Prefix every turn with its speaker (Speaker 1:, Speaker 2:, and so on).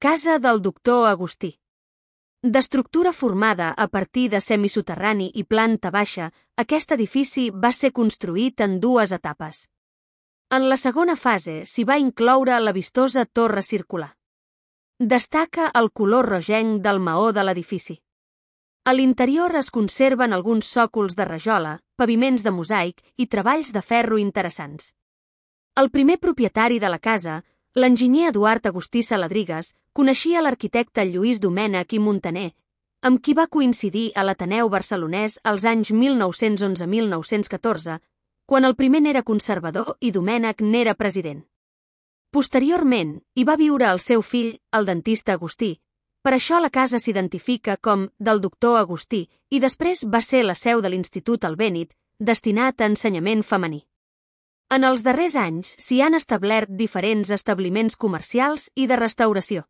Speaker 1: Casa del doctor Agustí. D'estructura formada a partir de semisoterrani i planta baixa, aquest edifici va ser construït en dues etapes. En la segona fase s'hi va incloure la vistosa torre circular. Destaca el color rogenc del maó de l'edifici. A l'interior es conserven alguns sòcols de rajola, paviments de mosaic i treballs de ferro interessants. El primer propietari de la casa, l'enginyer Eduard Agustí Saladrigas, coneixia l'arquitecte Lluís Domènech i Montaner, amb qui va coincidir a l'Ateneu Barcelonès als anys 1911-1914, quan el primer n'era conservador i Domènech n'era president. Posteriorment, hi va viure el seu fill, el dentista Agustí. Per això la casa s'identifica com del doctor Agustí i després va ser la seu de l'Institut Albéniz, destinat a ensenyament femení. En els darrers anys s'hi han establert diferents establiments comercials i de restauració.